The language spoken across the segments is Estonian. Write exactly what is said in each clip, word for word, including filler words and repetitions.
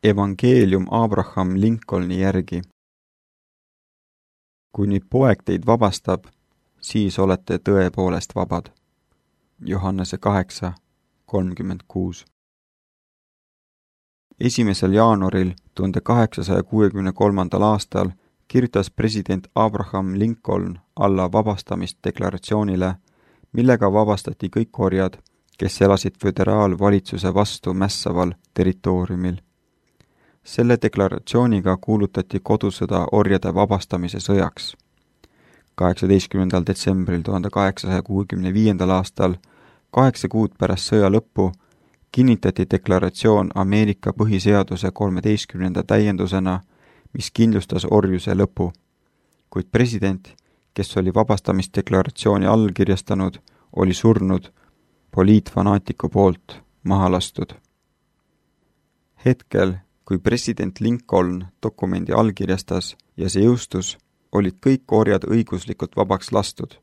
Evangeelium Abraham Lincolni järgi. Kui nüüd poeg teid vabastab, siis olete tõepoolest vabad. Johannese kaheksa kolmkümmend kuus. esimesel jaanuaril tuhande kaheksasaja kuuekümne kolmandal aastal kirjutas president Abraham Lincoln alla vabastamisdeklaratsioonile, millega vabastati kõik orjad, kes elasid föderaalvalitsuse vastu mässaval territooriumil. Selle deklaratsiooniga kuulutati kodusõda orjade vabastamise sõjaks. kaheksateistkümnendal detsembril tuhande kaheksasaja kuuekümne viiendal aastal, kaheksa kuud pärast sõja lõppu, kinnitati deklaratsioon Ameerika põhiseaduse kolmeteistkümnenda täiendusena, mis kindlustas orjuse lõpu. Kuid president, kes oli vabastamisdeklaratsiooni allkirjastanud, oli surnud poliitfanaatiku poolt maha lastud. Hetkel, kui president Lincoln dokumendi allkirjastas ja see jõustus, olid kõik orjad õiguslikult vabaks lastud,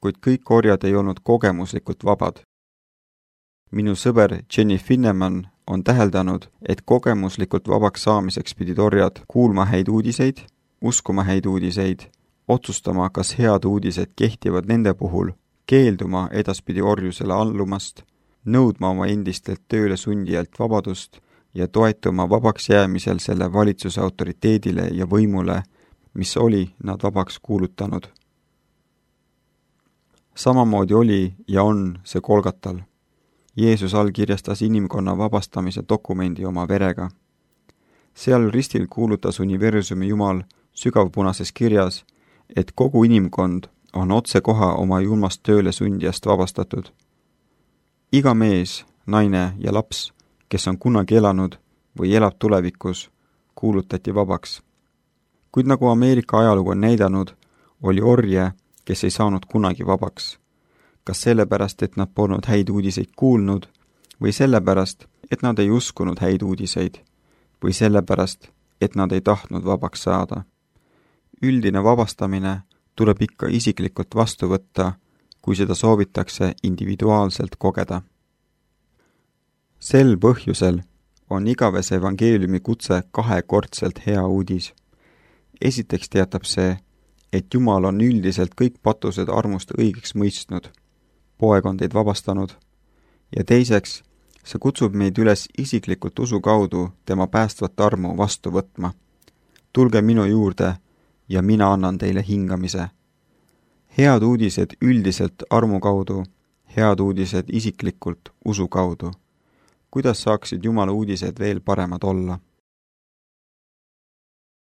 kuid kõik orjad ei olnud kogemuslikult vabad. Minu sõber Jenny Finneman on täheldanud, et kogemuslikult vabaks saamiseks pidid orjad kuulma häid uudiseid, uskuma häid uudiseid, otsustama, kas head uudised kehtivad nende puhul, keelduma edaspidi orjusele allumast, nõudma oma endistelt tööle sundijalt vabadust ja toetuma vabaks jäämisel selle valitsuse autoriteedile ja võimule, mis oli nad vabaks kuulutanud. Samamoodi oli ja on see Golgatal. Jeesus allkirjastas inimkonna vabastamise dokumendi oma verega. Seal ristil kuulutas universumi Jumal sügavpunases kirjas, et kogu inimkond on otsekoha oma julmast tööle sundijast vabastatud. Iga mees, naine ja laps, kes on kunagi elanud või elab tulevikus, kuulutati vabaks. Kuid nagu Ameerika ajalugu on näidanud, oli orje, kes ei saanud kunagi vabaks. Kas sellepärast, et nad polnud häid uudiseid kuulnud, või sellepärast, et nad ei uskunud häid uudiseid, või sellepärast, et nad ei tahtnud vabaks saada. Üldine vabastamine tuleb ikka isiklikult vastu võtta, kui seda soovitakse individuaalselt kogeda. Sel põhjusel on igavese evangeeliumi kutse kahekordselt hea uudis. Esiteks teatab see, et Jumal on üldiselt kõik patused armust õigeks mõistnud. Poeg on teid vabastanud. Ja teiseks, see kutsub meid üles isiklikult usu kaudu tema päästvat armu vastu võtma. Tulge minu juurde ja mina annan teile hingamise. Head uudised üldiselt armu kaudu, head uudised isiklikult usu kaudu. Kuidas saaksid Jumala uudised veel paremad olla?